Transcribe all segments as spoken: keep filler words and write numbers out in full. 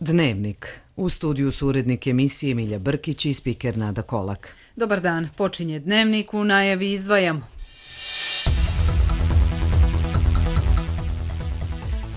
Dnevnik. U studiju su urednik emisije Milja Brkić i spiker Nada Kolak. Dobar dan, počinje Dnevnik, u najavi izdvajamo.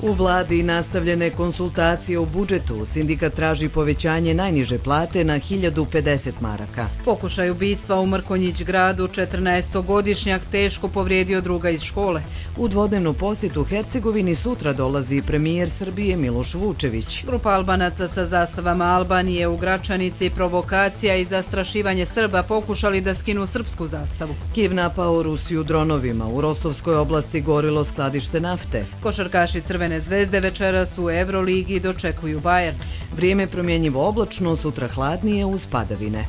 U vladi nastavljene konsultacije o budžetu. Sindikat traži povećanje najniže plate na hiljadu pedeset maraka. Pokušaj ubistva u Mrkonjić gradu, četrnaestogodišnjak teško povrijedio druga iz škole. U dvodnevnu posjetu Hercegovini sutra dolazi premijer Srbije Miloš Vučević. Grupa Albanaca sa zastavama Albanije u Gračanici, provokacija i zastrašivanje Srba pokušali da skinu srpsku zastavu. Kijev napao Rusiju dronovima. U Rostovskoj oblasti gorilo skladište nafte. Košarkaši Crvene zvezde večeras u Euroligi dočekuju Bayern. Vrijeme promjenjivo oblačno, sutra hladnije uz padavine.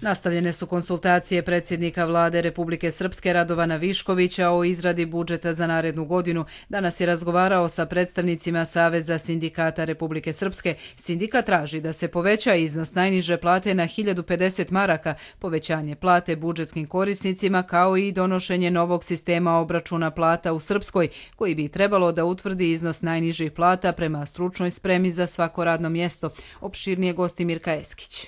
Nastavljene su konsultacije predsjednika vlade Republike Srpske Radovana Viškovića o izradi budžeta za narednu godinu. Danas je razgovarao sa predstavnicima Saveza sindikata Republike Srpske. Sindikat traži da se poveća iznos najniže plate na hiljadu pedeset maraka, povećanje plate budžetskim korisnicima kao i donošenje novog sistema obračuna plata u Srpskoj, koji bi trebalo da utvrdi iznos najnižih plata prema stručnoj spremi za svako radno mjesto. Opširnije gosti Mirka Eskić.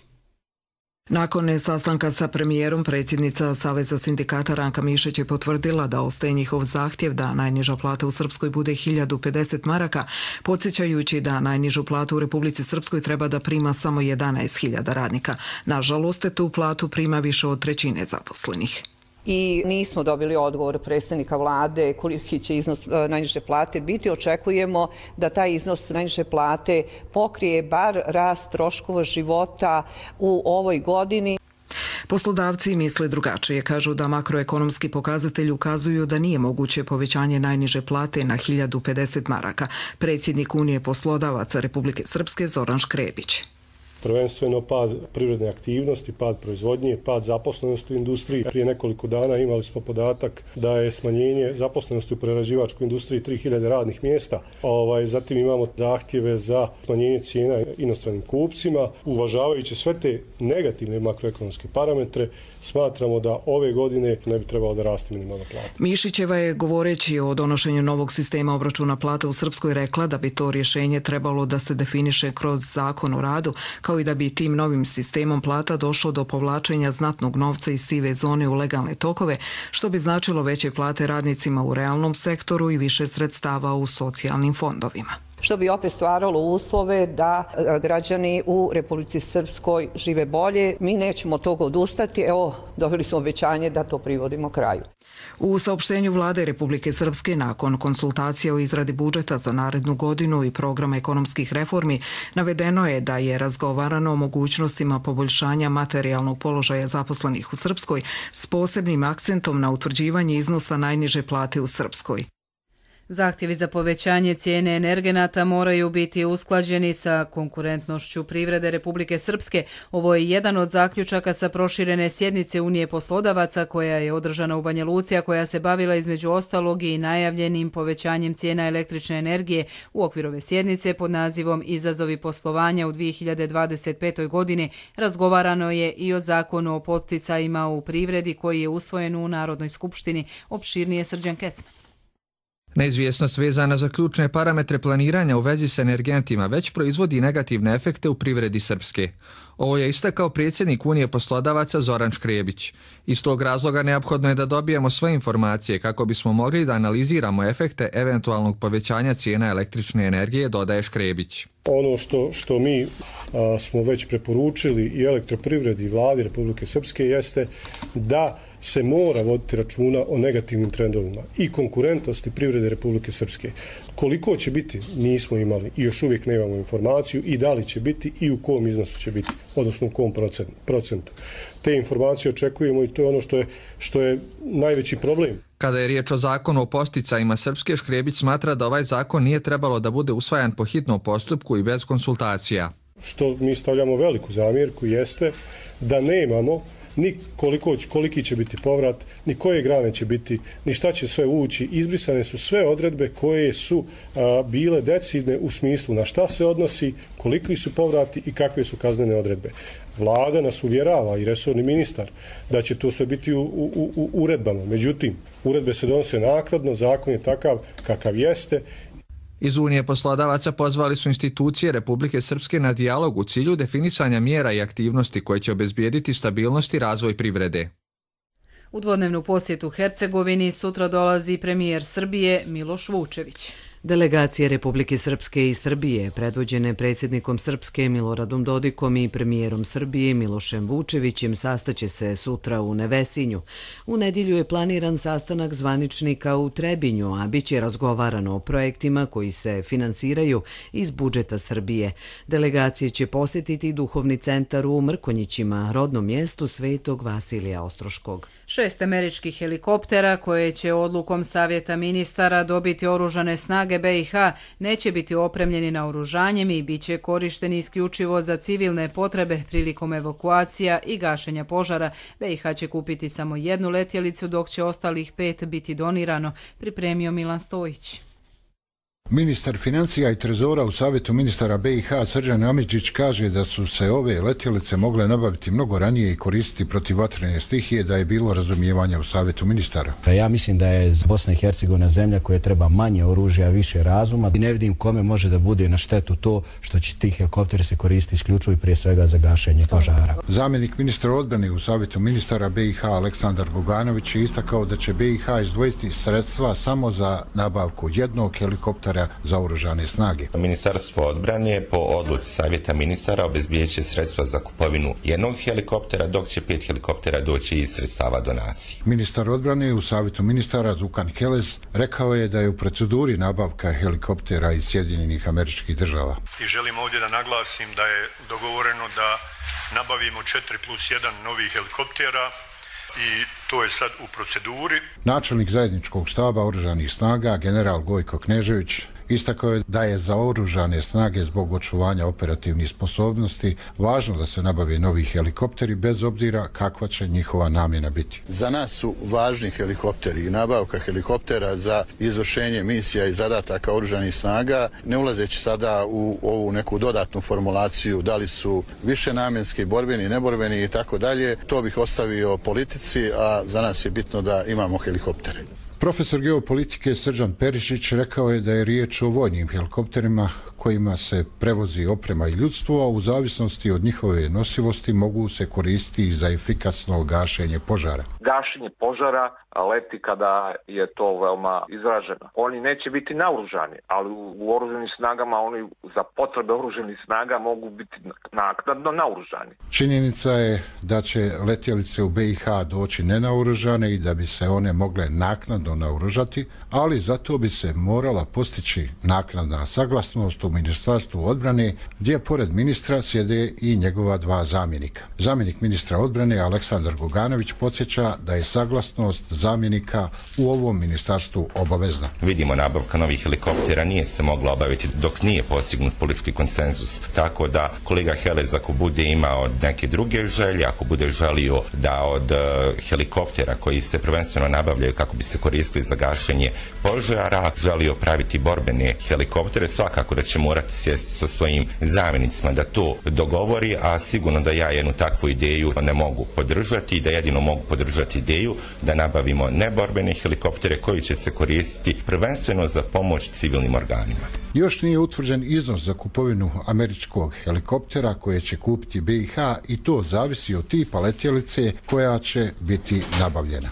Nakon sastanka sa premijerom, predsjednica Saveza sindikata Ranka Mišić je potvrdila da ostaje njihov zahtjev da najniža plata u Srpskoj bude hiljadu pedeset maraka, podsjećajući da najnižu platu u Republici Srpskoj treba da prima samo jedanaest hiljada radnika. Nažalost, tu platu prima više od trećine zaposlenih. I nismo dobili odgovor predsjednika vlade koliki će iznos najniže plate biti. Očekujemo da taj iznos najniže plate pokrije bar rast troškova života u ovoj godini. Poslodavci misle drugačije. Kažu da makroekonomski pokazatelji ukazuju da nije moguće povećanje najniže plate na hiljadu pedeset maraka. Predsjednik Unije poslodavaca Republike Srpske Zoran Škrebić. Prvenstveno pad privredne aktivnosti, pad proizvodnje, pad zaposlenosti u industriji. Prije nekoliko dana imali smo podatak da je smanjenje zaposlenosti u prerađivačkoj industriji tri hiljade radnih mjesta. Ovaj, zatim imamo zahtjeve za smanjenje cijena inostranim kupcima. Uvažavajući sve te negativne makroekonomske parametre, smatramo da ove godine ne bi trebalo da raste minimalna plata. Mišićeva je, govoreći o donošenju novog sistema obračuna plata u Srpskoj, rekla da bi to rješenje trebalo da se definiše kroz zakon o radu, kao i da bi tim novim sistemom plata došlo do povlačenja znatnog novca iz sive zone u legalne tokove, što bi značilo veće plate radnicima u realnom sektoru i više sredstava u socijalnim fondovima. Što bi opet stvaralo uslove da građani u Republici Srpskoj žive bolje. Mi nećemo od toga odustati. Evo, dobili smo obećanje da to privodimo kraju. U saopštenju vlade Republike Srpske nakon konsultacija o izradi budžeta za narednu godinu i programa ekonomskih reformi navedeno je da je razgovarano o mogućnostima poboljšanja materijalnog položaja zaposlenih u Srpskoj s posebnim akcentom na utvrđivanje iznosa najniže plate u Srpskoj. Zahtjevi za povećanje cijene energenata moraju biti usklađeni sa konkurentnošću privrede Republike Srpske. Ovo je jedan od zaključaka sa proširene sjednice Unije poslodavaca koja je održana u Banja Luci, a koja se bavila između ostalog i najavljenim povećanjem cijena električne energije. U okviru ove sjednice pod nazivom Izazovi poslovanja u dvije hiljade dvadeset petoj godini razgovarano je i o zakonu o podsticajima u privredi koji je usvojen u Narodnoj skupštini. Opširnije Srđan Kecman. Neizvjesnost vezana za ključne parametre planiranja u vezi s energentima već proizvodi negativne efekte u privredi Srpske. Ovo je istakao predsjednik Unije poslodavaca Zoran Škrebić. Iz tog razloga neophodno je da dobijemo sve informacije kako bismo mogli da analiziramo efekte eventualnog povećanja cijena električne energije, dodaje Škrebić. Ono što, što mi a, smo već preporučili i elektroprivredi i vladi Republike Srpske jeste da se mora voditi računa o negativnim trendovima i konkurentnosti privrede Republike Srpske. Koliko će biti, nismo imali i još uvijek nemamo informaciju i da li će biti i u kom iznosu će biti, odnosno u kom procentu. Te informacije očekujemo i to je ono što je, što je najveći problem. Kada je riječ o zakonu o podsticajima Srpske, Škrebić smatra da ovaj zakon nije trebalo da bude usvajan po hitnom postupku i bez konsultacija. Što mi stavljamo veliku zamjerku jeste da nemamo ni koliko, koliki će biti povrat, ni koje grane će biti, ni šta će sve ući. Izbrisane su sve odredbe koje su a, bile decidne u smislu na šta se odnosi, koliki su povrati i kakve su kaznene odredbe. Vlada nas uvjerava i resorni ministar da će to sve biti u, u, u uredbama. Međutim, Uredbe se donose naknadno, zakon je takav kakav jeste. Iz Unije poslodavaca pozvali su institucije Republike Srpske na dijalog u cilju definisanja mjera i aktivnosti koje će obezbijediti stabilnost i razvoj privrede. U dvodnevnu posjetu Hercegovini sutra dolazi premijer Srbije Miloš Vučević. Delegacije Republike Srpske i Srbije, predvođene predsjednikom Srpske Miloradom Dodikom i premijerom Srbije Milošem Vučevićem, sastaće se sutra u Nevesinju. U nedjelju je planiran sastanak zvaničnika u Trebinju, a bit će razgovarano o projektima koji se finansiraju iz budžeta Srbije. Delegacije će posjetiti duhovni centar u Mrkonjićima, rodnom mjestu Svetog Vasilija Ostroškog. Šest američkih helikoptera koje će odlukom Savjeta ministara dobiti oružane snage B i H neće biti opremljeni naoružanjem i bit će korišteni isključivo za civilne potrebe prilikom evakuacija i gašenja požara. B i H će kupiti samo jednu letjelicu, dok će ostalih pet biti donirano, pripremio Milan Stojić. Ministar financija i trezora u Savjetu ministara B i H Srđan Amidžić kaže da su se ove letjelice mogle nabaviti mnogo ranije i koristiti protiv vatrene stihije, da je bilo razumijevanja u Savjetu ministara. Ja mislim da je Bosna i Hercegovina zemlja koja treba manje oružja, više razuma i ne vidim kome može da bude na štetu to što će ti helikopteri se koristiti isključivo i prije svega za gašenje požara. Zamjenik ministra odbrane u Savjetu ministara B i H Aleksandar Boganović je istakao da će B i H izdvojiti sredstva samo za nabavku jednog helikoptera za oružane snage. Ministarstvo odbrane po odluci Savjeta ministara obezbijedit će sredstva za kupovinu jednog helikoptera, dok će pet helikoptera doći iz sredstava donacije. Ministar odbrane u Savjetu ministara Zukan Kelez rekao je da je u proceduri nabavka helikoptera iz Sjedinjenih Američkih Država. I želim ovdje da naglasim da je dogovoreno da nabavimo četiri plus jedan novih helikoptera i to je sad u proceduri. Načelnik zajedničkog štaba oružanih snaga, general Gojko Knežević, istakao je da je za oružane snage zbog očuvanja operativnih sposobnosti važno da se nabave novi helikopteri bez obzira kakva će njihova namjena biti. Za nas su važni helikopteri i nabavka helikoptera za izvršenje misija i zadataka oružanih snaga, ne ulazeći sada u ovu neku dodatnu formulaciju da li su višenamjenski, borbeni, neborbeni i tako dalje. To bih ostavio politici, a za nas je bitno da imamo helikoptere. Profesor geopolitike Srđan Perišić rekao je da je riječ o vojnim helikopterima kojima se prevozi oprema i ljudstvo, a u zavisnosti od njihove nosivosti mogu se koristiti za efikasno gašenje požara. Gašenje požara leti kada je to veoma izraženo. Oni neće biti naoružani, ali u oružanim snagama oni za potrebe oružanih snaga mogu biti naknadno naoružani. Činjenica je da će letjelice u B i H doći nenaoružane i da bi se one mogle naknadno naoružati, ali zato bi se morala postići naknadna saglasnost u Ministarstvu odbrane, gdje pored ministra sjede i njegova dva zamjenika. Zamjenik ministra odbrane Aleksandar Goganović podsjeća da je saglasnost zamjenika u ovom ministarstvu obavezna. Vidimo, nabavka novih helikoptera nije se mogla obaviti dok nije postignut politički konsenzus, tako da kolega Helez ako bude imao neke druge želje, ako bude želio da od uh, helikoptera koji se prvenstveno nabavljaju kako bi se koristili za gašenje požara, želio praviti borbene helikoptere, svakako da će morati sjesti sa svojim zamjenicima da to dogovori, a sigurno da ja jednu takvu ideju ne mogu podržati, da jedino mogu podržati ideju da nabavimo neborbene helikoptere koji će se koristiti prvenstveno za pomoć civilnim organima. Još nije utvrđen iznos za kupovinu američkog helikoptera koje će kupiti B i H i to zavisi od tipa letjelice koja će biti nabavljena.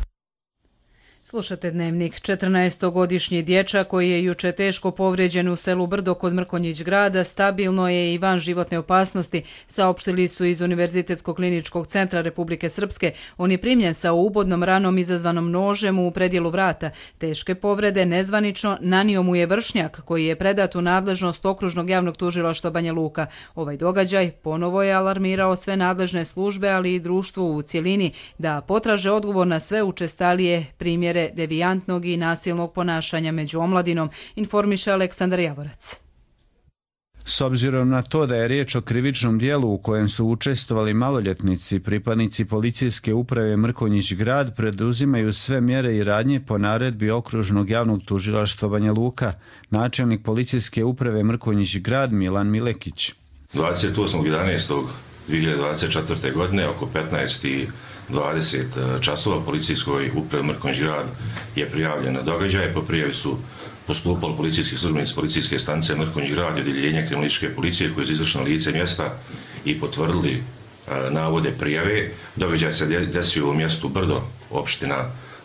Slušate Dnevnik. četrnaestogodišnji dječak koji je juče teško povrijeđen u selu Brdo kod Mrkonjić grada stabilno je i van životne opasnosti, saopštili su iz Univerzitetskog kliničkog centra Republike Srpske. On je primljen sa ubodnom ranom izazvanom nožem u predjelu vrata. Teške povrede nezvanično nanio mu je vršnjak koji je predat u nadležnost Okružnog javnog tužilaštva Banja Luka. Ovaj događaj ponovo je alarmirao sve nadležne službe, ali i društvo u cjelini da potraže odgovor na sve učestalije primjere devijantnog i nasilnog ponašanja među omladinom, informiše Aleksandar Javorac. S obzirom na to da je riječ o krivičnom dijelu u kojem su učestvovali maloljetnici, pripadnici policijske uprave Mrkonjić grad preduzimaju sve mjere i radnje po naredbi Okružnog javnog tužilaštva Banja Luka, načelnik policijske uprave Mrkonjić grad Milan Milekić. dvadeset osmog jedanaestog dvije hiljade dvadeset četvrte. godine oko petnaest i dvadeset časova policijskoj upravi Mrkonjić Grad je prijavljen na događaje. Po prijavi su postupali policijski službenici policijske stanice Mrkonjić Grad i odjeljenja kriminalističke policije koji su izašli na lice mjesta i potvrdili navode prijave. Događaj se desio u mjestu Brdo, opština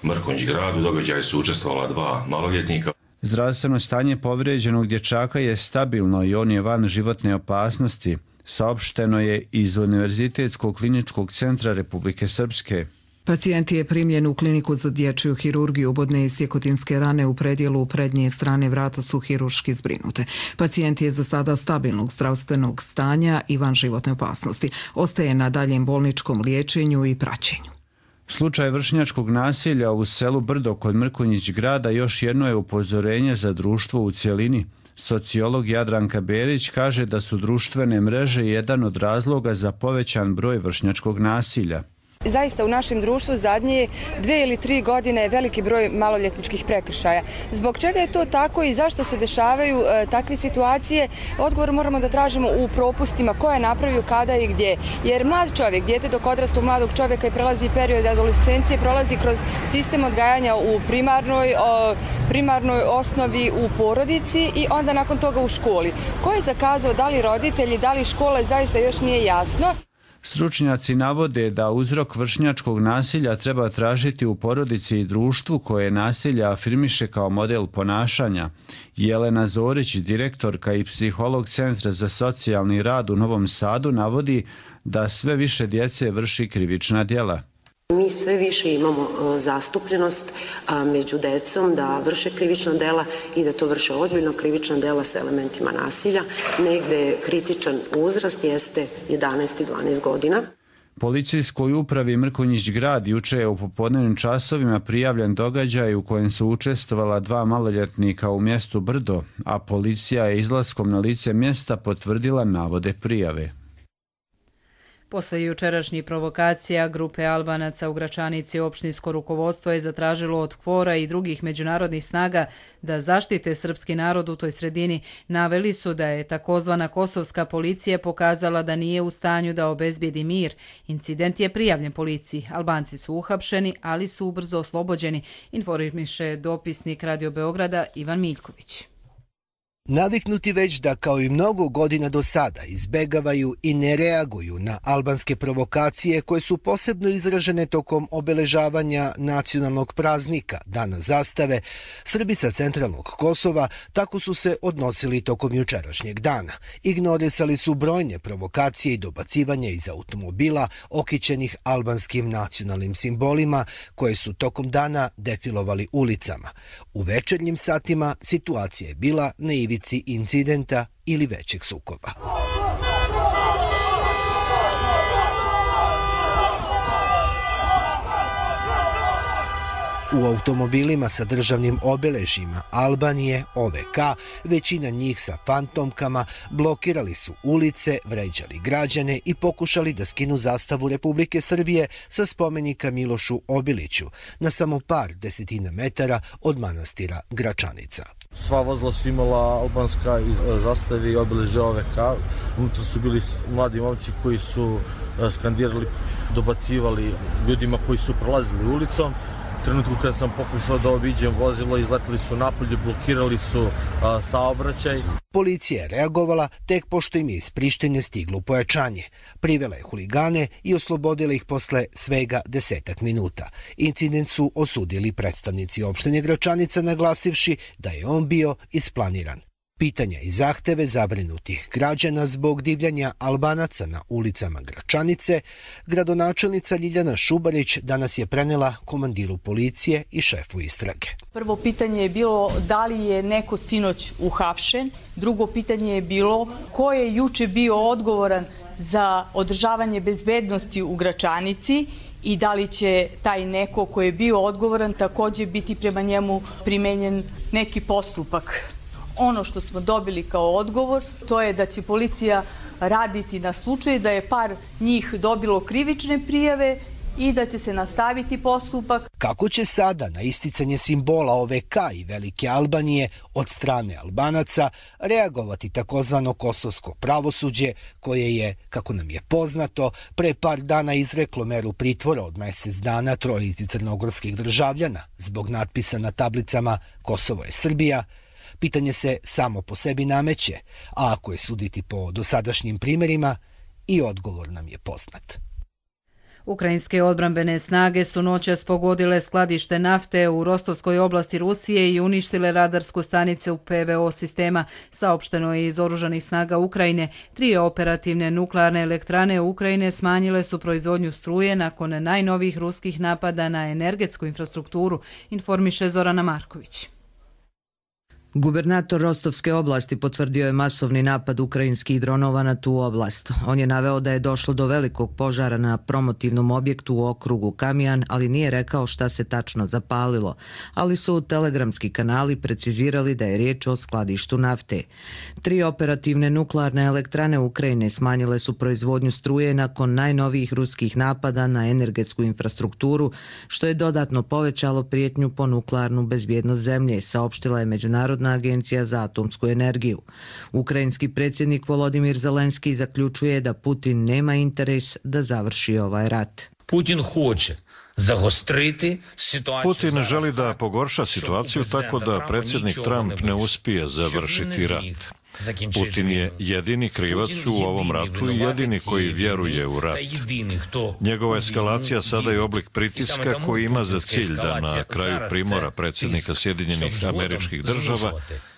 Mrkonjić Grad. U događaju su učestvovala dva maloljetnika. Zdravstveno stanje povrijeđenog dječaka je stabilno i on je van životne opasnosti, saopšteno je iz Univerzitetskog kliničkog centra Republike Srpske. Pacijent je primljen u kliniku za dječju hirurgiju. Ubodne i sjekotinske rane u predjelu prednje strane vrata su hirurški zbrinute. Pacijent je za sada stabilnog zdravstvenog stanja i van životne opasnosti. Ostaje na daljem bolničkom liječenju i praćenju. Slučaj vršnjačkog nasilja u selu Brdo kod Mrkonjić Grada još jedno je upozorenje za društvo u cjelini. Sociolog Jadranka Berić kaže da su društvene mreže jedan od razloga za povećan broj vršnjačkog nasilja. Zaista u našem društvu zadnje dve ili tri godine je veliki broj maloljetničkih prekršaja. Zbog čega je to tako i zašto se dešavaju e, takve situacije? Odgovor moramo da tražimo u propustima ko je napravio, kada i gdje. Jer mlad čovjek, dijete dok odrasta u mladog čovjeka i prelazi period adolescencije, prolazi kroz sistem odgajanja u primarnoj, o, primarnoj osnovi u porodici i onda nakon toga u školi. Ko je zakazao, da li roditelji, da li škole, zaista još nije jasno. Stručnjaci navode da uzrok vršnjačkog nasilja treba tražiti u porodici i društvu koje nasilje afirmiše kao model ponašanja. Jelena Zorić, direktorka i psiholog Centra za socijalni rad u Novom Sadu, navodi da sve više djece vrši krivična djela. Mi sve više imamo zastupljenost među decom da vrše krivična dela i da to vrše ozbiljno krivična dela sa elementima nasilja. Negde kritičan uzrast jeste jedanaest i dvanaest godina. Policijskoj upravi Mrkonjić Grad juče je u popodnevnim časovima prijavljen događaj u kojem su učestvovala dva maloljetnika u mjestu Brdo, a policija je izlaskom na lice mjesta potvrdila navode prijave. Posle jučerašnjih provokacija, grupe Albanaca u Gračanici opštinsko rukovodstvo je zatražilo od KFOR-a i drugih međunarodnih snaga da zaštite srpski narod u toj sredini. Naveli su da je takozvana kosovska policija pokazala da nije u stanju da obezbijedi mir. Incident je prijavljen policiji. Albanci su uhapšeni, ali su ubrzo oslobođeni, informiše dopisnik Radio Beograda Ivan Miljković. Naviknuti već da kao i mnogo godina do sada izbegavaju i ne reaguju na albanske provokacije koje su posebno izražene tokom obeležavanja nacionalnog praznika, Dana zastave, Srbi sa centralnog Kosova tako su se odnosili tokom jučerašnjeg dana. Ignorisali su brojne provokacije i dobacivanja iz automobila okićenih albanskim nacionalnim simbolima koje su tokom dana defilovali ulicama. U večernjim satima situacija je bila na ivici incidenta ili većeg sukoba. U automobilima sa državnim obeležjima Albanije, O V K, većina njih sa fantomkama, blokirali su ulice, vređali građane i pokušali da skinu zastavu Republike Srbije sa spomenika Milošu Obiliću na samo par desetina metara od manastira Gračanica. Sva vozila su imala albanska zastave i obeležje O V K. Unutra su bili mladi momci koji su skandirali, dobacivali ljudima koji su prolazili ulicom. U trenutku kad sam pokušao da obiđem vozilo, izletili su napolje, blokirali su a, saobraćaj. Policija je reagovala tek pošto im je iz Prištine stiglo pojačanje. Privela je huligane i oslobodila ih posle svega desetak minuta. Incident su osudili predstavnici opštine Gračanica, naglasivši da je on bio isplaniran. Pitanja i zahteve zabrinutih građana zbog divljanja Albanaca na ulicama Gračanice, gradonačelnica Ljiljana Šubarić danas je prenela komandiru policije i šefu istrage. Prvo pitanje je bilo da li je neko sinoć uhapšen, drugo pitanje je bilo ko je juče bio odgovoran za održavanje bezbednosti u Gračanici i da li će taj neko ko je bio odgovoran također biti prema njemu primenjen neki postupak. Ono što smo dobili kao odgovor, to je da će policija raditi na slučaju da je par njih dobilo krivične prijave i da će se nastaviti postupak. Kako će sada na isticanje simbola O V K i Velike Albanije od strane Albanaca reagovati takozvano kosovsko pravosuđe koje je, kako nam je poznato, pre par dana izreklo meru pritvora od mjesec dana trojici crnogorskih državljana zbog natpisa na tablicama Kosovo je Srbija, pitanje se samo po sebi nameće, a ako je suditi po dosadašnjim primjerima, i odgovor nam je poznat. Ukrajinske odbrambene snage su noćas pogodile skladište nafte u Rostovskoj oblasti Rusije i uništile radarsku stanicu P V O sistema, saopšteno je iz oružanih snaga Ukrajine. Tri operativne nuklearne elektrane Ukrajine smanjile su proizvodnju struje nakon najnovijih ruskih napada na energetsku infrastrukturu, informiše Zorana Marković. Gubernator Rostovske oblasti potvrdio je masovni napad ukrajinskih dronova na tu oblast. On je naveo da je došlo do velikog požara na promotivnom objektu u okrugu Kamijan, ali nije rekao šta se tačno zapalilo, ali su telegramski kanali precizirali da je riječ o skladištu nafte. Tri operativne nuklearne elektrane Ukrajine smanjile su proizvodnju struje nakon najnovijih ruskih napada na energetsku infrastrukturu, što je dodatno povećalo prijetnju po nuklearnu bezbjednost zemlje, saopštila je Međunarodna agencija za atomsku energiju. Ukrajinski predsjednik Volodimir Zelenski zaključuje da Putin nema interes da završi ovaj rat. Putin hoće zagostriti situaciju. Putin želi da pogorša situaciju tako da predsjednik Trump ne uspije završiti rat. Putin je jedini krivac u ovom ratu i jedini koji vjeruje u rat. Njegova eskalacija sada je oblik pritiska koji ima za cilj da na kraju primora predsjednika Sjedinjenih Američkih Država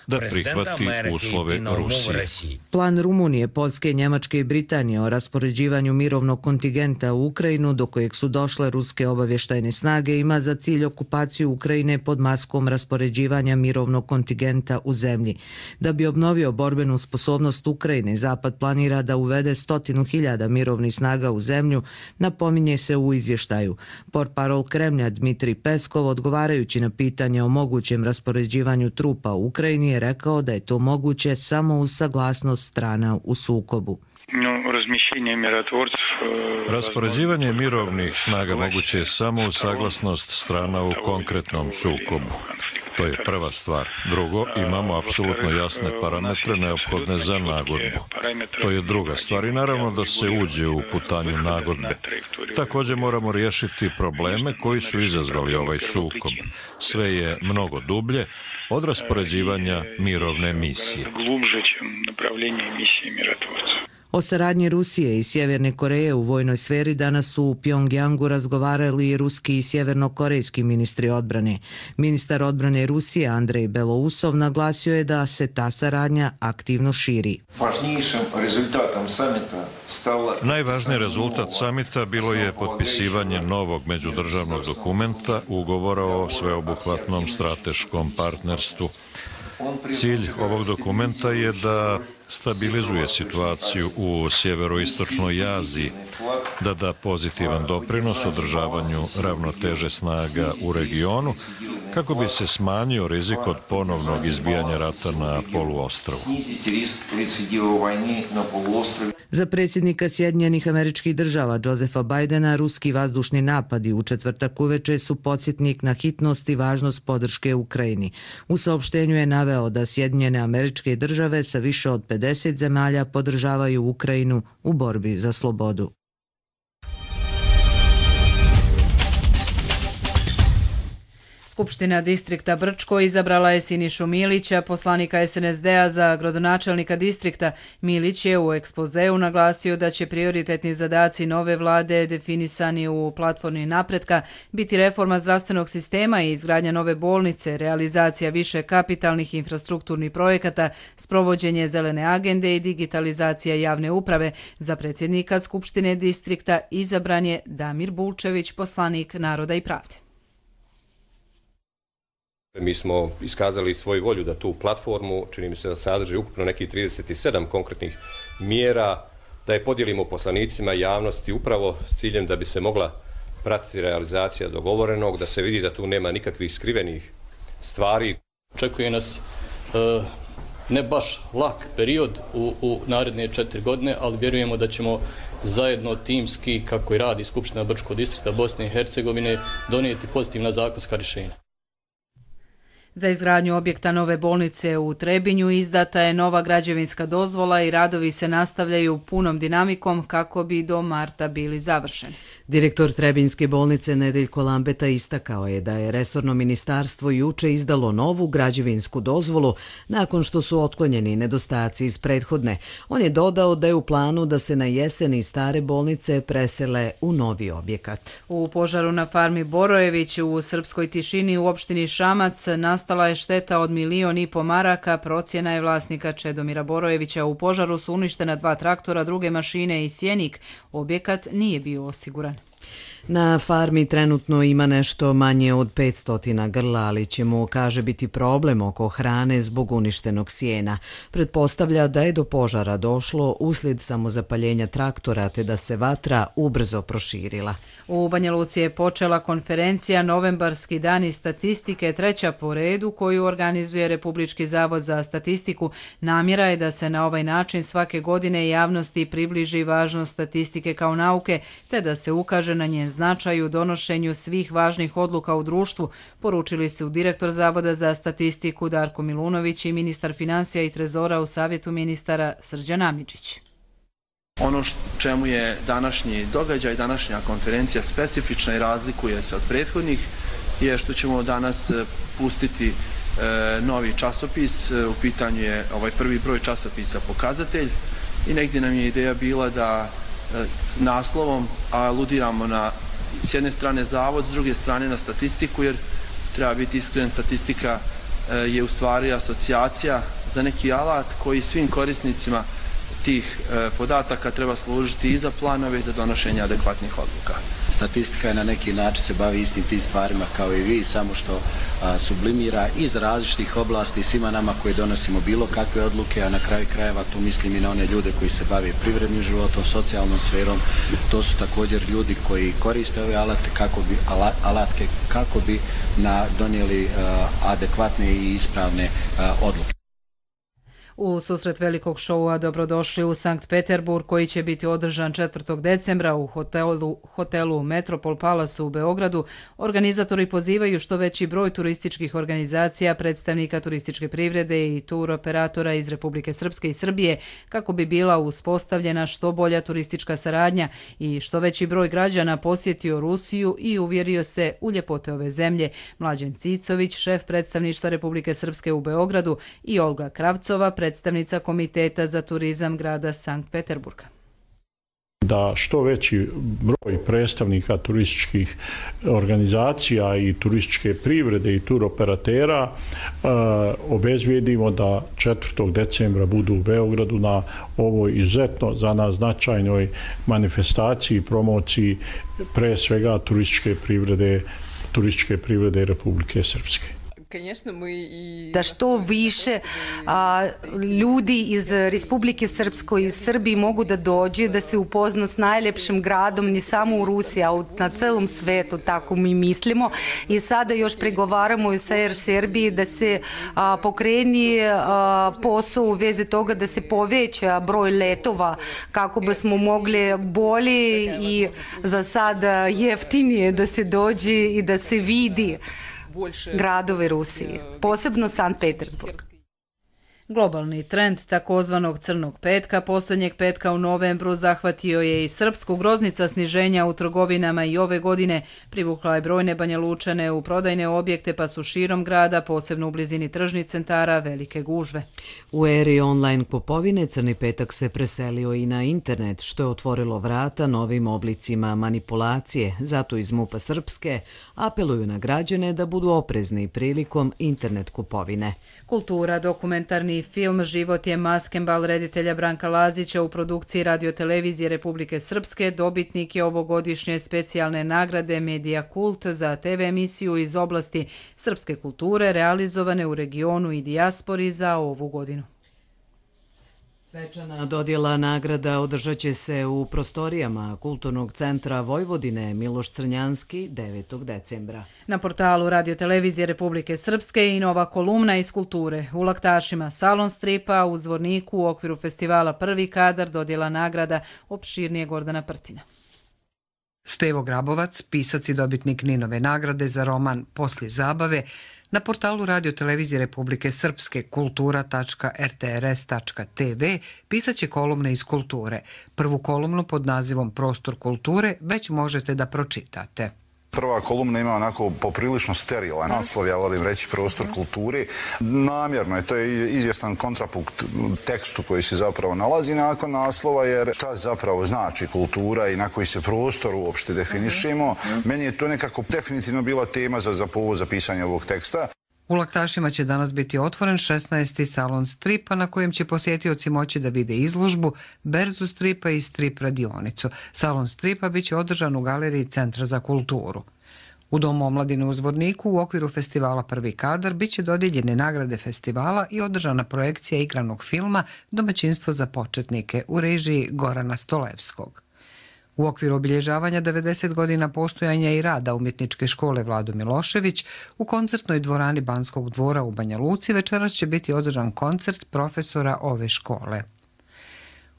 da prihvati uslove Rusije. Plan Rumunije, Poljske, Njemačke i Britanije o raspoređivanju mirovnog kontingenta u Ukrajinu, do kojeg su došle ruske obavještajne snage, ima za cilj okupaciju Ukrajine pod maskom raspoređivanja mirovnog kontingenta u zemlji. Da bi obnovio borbenu sposobnost Ukrajine, Zapad planira da uvede stotinu hiljada mirovnih snaga u zemlju, napominje se u izvještaju. Portparol Kremlja Dmitrij Peskov, odgovarajući na pitanje o mogućem raspoređivanju trupa u Ukrajini, je rekao da je to moguće samo uz saglasnost strana u sukobu. Raspoređivanje mirovnih snaga moguće je samo uz saglasnost strana u konkretnom sukobu. To je prva stvar. Drugo, imamo apsolutno jasne parametre neophodne za nagodbu. To je druga stvar i naravno da se uđe u putanju nagodbe. Također moramo riješiti probleme koji su izazvali ovaj sukob. Sve je mnogo dublje od raspoređivanja mirovne misije. O saradnji Rusije i Sjeverne Koreje u vojnoj sferi danas su u Pjongjangu razgovarali i ruski i sjevernokorejski ministri odbrane. Ministar odbrane Rusije Andrej Belousov naglasio je da se ta saradnja aktivno širi. Najvažniji rezultat samita bilo je potpisivanje novog međudržavnog dokumenta, ugovora o sveobuhvatnom strateškom partnerstvu. Cilj ovog dokumenta je da stabilizuje situaciju u sjeveroistočnoj Aziji, da da pozitivan doprinos održavanju ravnoteže snaga u regionu, kako bi se smanjio rizik od ponovnog izbijanja rata na poluostrvu. Za predsjednika Sjedinjenih Američkih Država Josepha Bidena ruski vazdušni napadi u četvrtak uveče su podsjetnik na hitnost i važnost podrške Ukrajini. U saopštenju je naveo da Sjedinjene Američke Države sa više od pedeset zemalja podržavaju Ukrajinu u borbi za slobodu. Skupština distrikta Brčko izabrala je Sinišu Milića, poslanika S N S D-a za gradonačelnika distrikta. Milić je u ekspozeu naglasio da će prioritetni zadaci nove vlade definisani u platformi napretka biti reforma zdravstvenog sistema i izgradnja nove bolnice, realizacija više kapitalnih infrastrukturnih projekata, sprovođenje zelene agende i digitalizacija javne uprave. Za predsjednika Skupštine distrikta izabran je Damir Bulčević, poslanik Naroda i pravde. Mi smo iskazali svoju volju da tu platformu, čini mi se da sadrži ukupno nekih trideset sedam konkretnih mjera, da je podijelimo poslanicima javnosti upravo s ciljem da bi se mogla pratiti realizacija dogovorenog, da se vidi da tu nema nikakvih skrivenih stvari. Očekuje nas uh, ne baš lak period u, u naredne četiri godine, ali vjerujemo da ćemo zajedno timski, kako i radi Skupština Brčkog distrikta Bosne i Hercegovine, donijeti pozitivna zakonska rješenja. Za izgradnju objekta nove bolnice u Trebinju izdata je nova građevinska dozvola i radovi se nastavljaju punom dinamikom kako bi do marta bili završeni. Direktor Trebinjske bolnice Nedeljko Lambeta istakao je da je resorno ministarstvo juče izdalo novu građevinsku dozvolu nakon što su otklonjeni nedostaci iz prethodne. On je dodao da je u planu da se na jesen iz stare bolnice presele u novi objekat. U požaru na farmi Borojević u Srpskoj Tišini u opštini Šamac nastala je šteta od milion i po maraka, procjena je vlasnika Čedomira Borojevića. U požaru su uništena dva traktora, druge mašine i sjenik. Objekat nije bio osiguran. Na farmi trenutno ima nešto manje od petsto grla, ali će mu, kaže, biti problem oko hrane zbog uništenog sjena. Pretpostavlja da je do požara došlo uslijed samozapaljenja traktora te da se vatra ubrzo proširila. U Banja Luci je počela konferencija Novembarski dani statistike, treća po redu koju organizuje Republički zavod za statistiku. Namjera je da se na ovaj način svake godine javnosti približi važnost statistike kao nauke te da se ukaže na njen značaj u donošenju svih važnih odluka u društvu, poručili su direktor Zavoda za statistiku Darko Milunović i ministar financija i trezora u Savjetu ministara Srđan Amidžić. Ono čemu je današnji događaj, današnja konferencija specifična i razlikuje se od prethodnih je što ćemo danas pustiti e, novi časopis. U pitanju je ovaj prvi broj časopisa Pokazatelj i negdje nam je ideja bila da e, naslovom aludiramo na s jedne strane zavod, s druge strane na statistiku, jer treba biti iskren, statistika e, je u stvari asocijacija za neki alat koji svim korisnicima tih e, podataka treba služiti i za planove i za donošenje adekvatnih odluka. Statistika je na neki način se bavi istim tim stvarima kao i vi, samo što a, sublimira iz različitih oblasti svima nama koji donosimo bilo kakve odluke, a na kraju krajeva tu mislim i na one ljude koji se bave privrednim životom, socijalnom sferom. To su također ljudi koji koriste ove alate kako bi, ala, alatke kako bi na, donijeli a, adekvatne i ispravne a, odluke. U susret velikog šoua dobrodošli u Sankt Peterburg koji će biti održan četvrtog decembra u hotelu, hotelu Metropol Palace u Beogradu. Organizatori pozivaju što veći broj turističkih organizacija, predstavnika turističke privrede i tur operatora iz Republike Srpske i Srbije kako bi bila uspostavljena što bolja turistička saradnja i što veći broj građana posjetio Rusiju i uvjerio se u ljepote ove zemlje. Mlađen Cicović, šef predstavništva Republike Srpske u Beogradu, i Olga Kravcova, predstavnica Komiteta za turizam grada Sankt Peterburga. Da što veći broj predstavnika turističkih organizacija i turističke privrede i turoperatera e, obezbijedimo da četvrtog decembra budu u Beogradu na ovoj izuzetno za nas značajnoj manifestaciji i promociji pre svega turističke privrede, turističke privrede Republike Srpske. Da što više a, ljudi iz Republike Srpskoj i Srbiji mogu da dođe, da se upozna s najljepšim gradom, ne samo u Rusiji, a na celom svetu, tako mi mislimo. I sada još pregovaramo i sa Air Serbiji da se a, pokreni a, posao u vezi toga da se poveća broj letova kako bismo mogli bolje i za sada jeftinije da se dođe i da se vidi gradove Rusije, posebno Sankt Petersburg. Globalni trend takozvanog crnog petka posljednjeg petka u novembru zahvatio je i Srpsku. Groznica sniženja u trgovinama i ove godine privukla je brojne Banja Lučane u prodajne objekte, pa su širom grada, posebno u blizini tržnih centara, velike gužve. U eri online kupovine crni petak se preselio i na internet, što je otvorilo vrata novim oblicima manipulacije. Zato iz MUP-a Srpske apeluju na građane da budu oprezni prilikom internet kupovine. Kultura, dokumentarni film Život je maskembal reditelja Branka Lazića u produkciji radiotelevizije Republike Srpske dobitnik je ovogodišnje specijalne nagrade Medija Kult za te ve emisiju iz oblasti srpske kulture realizovane u regionu i dijaspori za ovu godinu. Svečana dodjela nagrada održat će se u prostorijama Kulturnog centra Vojvodine Miloš Crnjanski devetog decembra. Na portalu Radio-televizije Republike Srpske i nova kolumna iz kulture. U Laktašima salon stripa, u Zvorniku u okviru festivala Prvi kadar dodjela nagrada opširnije Gordana Prtina. Stevo Grabovac, pisac i dobitnik Ninove nagrade za roman Poslije zabave, na portalu Radio-televizije Republike Srpske kultura tačka r t r s tačka t v pisat će kolumne iz kulture. Prvu kolumnu pod nazivom Prostor kulture već možete da pročitate. Prva kolumna ima onako poprilično sterilan naslov, ja volim reći Prostor kulture. Namjerno je, to je izvjestan kontrapunkt tekstu koji se zapravo nalazi nakon naslova, jer šta zapravo znači kultura i na koji se prostor uopšte definišemo. Meni je to nekako definitivno bila tema za, za povod za pisanje ovog teksta. U Laktašima će danas biti otvoren šesnaesti salon stripa na kojem će posjetioci moći da vide izložbu, berzu stripa i strip radionicu. Salon stripa bit će održan u galeriji Centra za kulturu. U Domu omladine u Zvorniku u okviru festivala Prvi kadar bit će dodijeljene nagrade festivala i održana projekcija igranog filma Domaćinstvo za početnike u režiji Gorana Stolevskog. U okviru obilježavanja devedeset godina postojanja i rada Umjetničke škole Vlado Milošević u koncertnoj dvorani Banskog dvora u Banja Luci večeras će biti održan koncert profesora ove škole.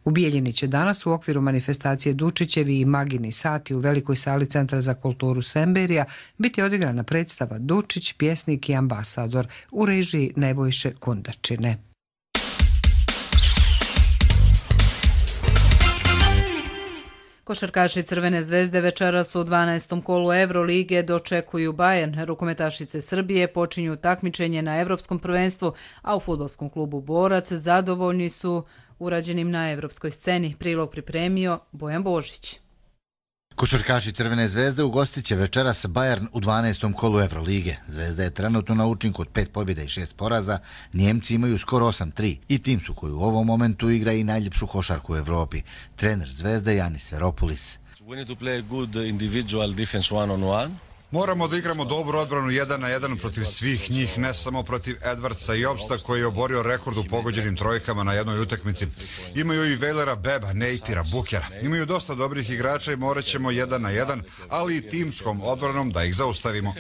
U Bijeljini će danas u okviru manifestacije Dučićevi i Magini sati u velikoj sali Centra za kulturu Semberija biti odigrana predstava Dučić, pjesnik i ambasador u režiji Nebojše Kundačine. Košarkaši Crvene zvezde večeras u dvanaestom kolu Evrolige dočekuju Bayern. Rukometašice Srbije počinju takmičenje na Evropskom prvenstvu, a u fudbalskom klubu Borac zadovoljni su urađenim na evropskoj sceni. Prilog pripremio Bojan Božić. Košarkaši Crvene zvezde ugostit će večeras Bayern u dvanaestom kolu Evrolige. Zvezda je trenutno na učinku od pet pobjeda i šest poraza, Njemci imaju skoro osam tri i tim su koji u ovom momentu igra i najljepšu košarku u Evropi. Trener Zvezde Janis Seropolis. We need to play a good individual defense one on one. Moramo da igramo dobru odbranu jedan na jedan protiv svih njih, ne samo protiv Edwardsa i Obsta koji je oborio rekord u pogođenim trojkama na jednoj utakmici. Imaju i Velera, Beba, Nejpira, Bukera. Imaju dosta dobrih igrača i morat ćemo jedan na jedan, ali i timskom odbranom da ih zaustavimo.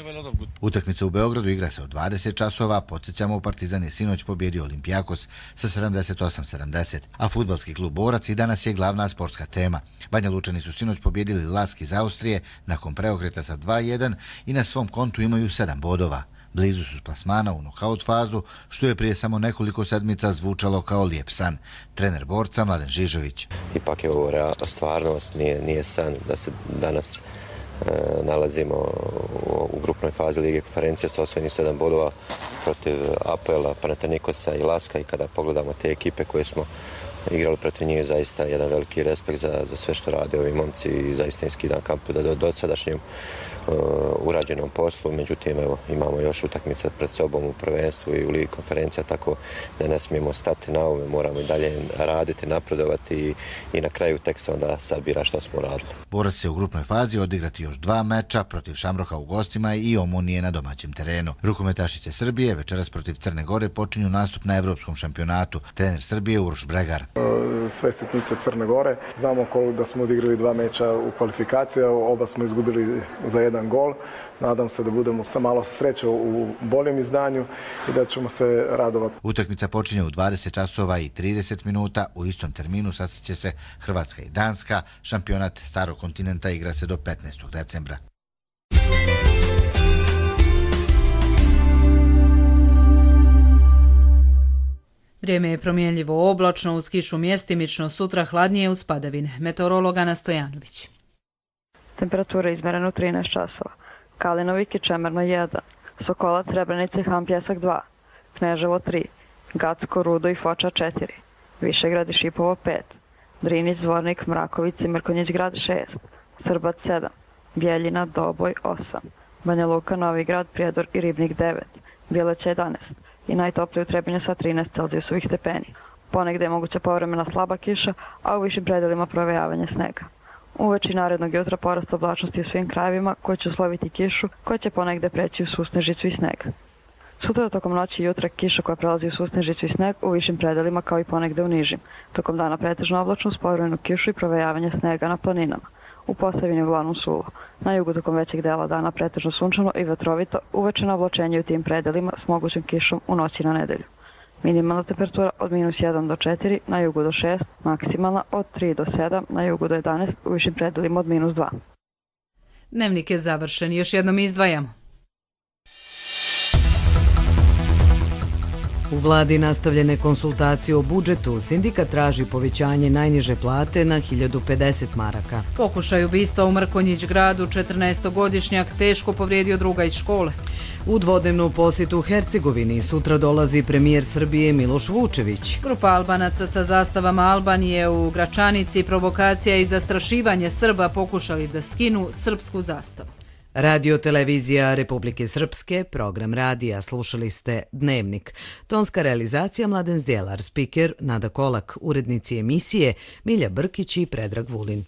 Utakmica u Beogradu igra se od dvadeset časova, podsjećamo, Partizan je sinoć pobjedio Olimpijakos sa sedamdeset osam sedamdeset, a fudbalski klub Borac i danas je glavna sportska tema. Banja Lučani su sinoć pobjedili Lask iz Austrije nakon preokreta sa dva jedan i na svom kontu imaju sedam bodova. Blizu su plasmana u nokaut fazu, što je prije samo nekoliko sedmica zvučalo kao lijep san. Trener Borca Mladen Žižović. Ipak je ovo stvarnost, nije, nije san da se danas e, nalazimo u, u grupnoj fazi Lige konferencije sa osvojenih sedam bodova protiv A P L-a, Panathinaikosa i Laska, i kada pogledamo te ekipe koje smo igrali protiv njih, zaista jedan veliki respekt za, za sve što rade ovi momci i zaista im skidam kapu da do, do sadašnjem uh, urađenom poslu. Međutim, evo, imamo još utakmice pred sobom u prvenstvu i u Ligi konferencija, tako da ne smijemo stati na ovome, moramo i dalje raditi, napredovati i, i na kraju tek se onda sabira što smo radili. Borac će u grupnoj fazi odigrati još dva meča protiv Šamroka u gostima i Omonije na domaćem terenu. Rukometašice Srbije večeras protiv Crne Gore počinju nastup na evropskom šampionatu. Trener Srbije Uroš Bregar. Sve sitnice Crne Gore. Znamo da smo odigrali dva meča u kvalifikacije, oba smo izgubili za jedan gol. Nadam se da budemo sa malo sreće u boljem izdanju i da ćemo se radovati. Utakmica počinje u dvadeset časova i trideset minuta. U istom terminu sastaće se Hrvatska i Danska. Šampionat Starog kontinenta igra se do petnaestog decembra. Vrijeme je promjenljivo oblačno, uz kišu mjestimično, sutra hladnije uz padavine. Meteorolog Ana Stojanović. Temperatura izmerena u trinaest časova. Kalinovik i Čemerno jedan, Sokolac, Srebrenica i Han Pjesak dva, Kneževo tri, Gacko, Rudo i Foča četiri, Višegrad i Šipovo pet, Drinić, Zvornik, Mraković i Mrkonjić grad šest, Srbac sedam, Bjeljina, Doboj osam, Banja Luka, Novi Grad, Prijedor i Ribnik devet, Bjeleća jedanaest i najtoplije u Trebinju sa trinaest Celzijusovih stepeni. Ponegde je moguća povremena slaba kiša, a u višim predelima provejavanje snega. Uveči narednog jutra porast oblačnosti u svim krajevima koji će usloviti kišu, koja će ponegde preći u susnežicu i sneg. Sutra tokom noći i jutra kiša koja prelazi u susnežicu i sneg u višim predelima kao i ponegde u nižim. Tokom dana pretežno oblačno uz povremenu kišu i provejavanje snega na planinama. U Posavini uglavnom suvo. Na jugu tokom većeg dela dana pretežno sunčano i vetrovito, uveče na oblačenje u tim predelima s mogućim kišom u noći na nedelju. Minimalna temperatura od minus jedan do četiri, na jugu do šest, maksimalna od tri do sedam, na jugu do jedanaest, u višim predelima od minus dva. Dnevnik je završen. Još jednom izdvajamo. U vladi nastavljene konsultacije o budžetu, sindikat traži povećanje najniže plate na hiljadu pedeset maraka. Pokušaj ubistva u Mrkonjić gradu, četrnaestogodišnjak teško povrijedio druga iz škole. U dvodnevnu posjetu u Hercegovini sutra dolazi premijer Srbije Miloš Vučević. Grupa Albanaca sa zastavama Albanije u Gračanici, provokacija i zastrašivanje Srba pokušali da skinu srpsku zastavu. Radio televizija Republike Srpske, program radija, slušali ste Dnevnik. Tonska realizacija Mladen Zdjelar, spiker Nada Kolak, urednici emisije Milja Brkić i Predrag Vulin.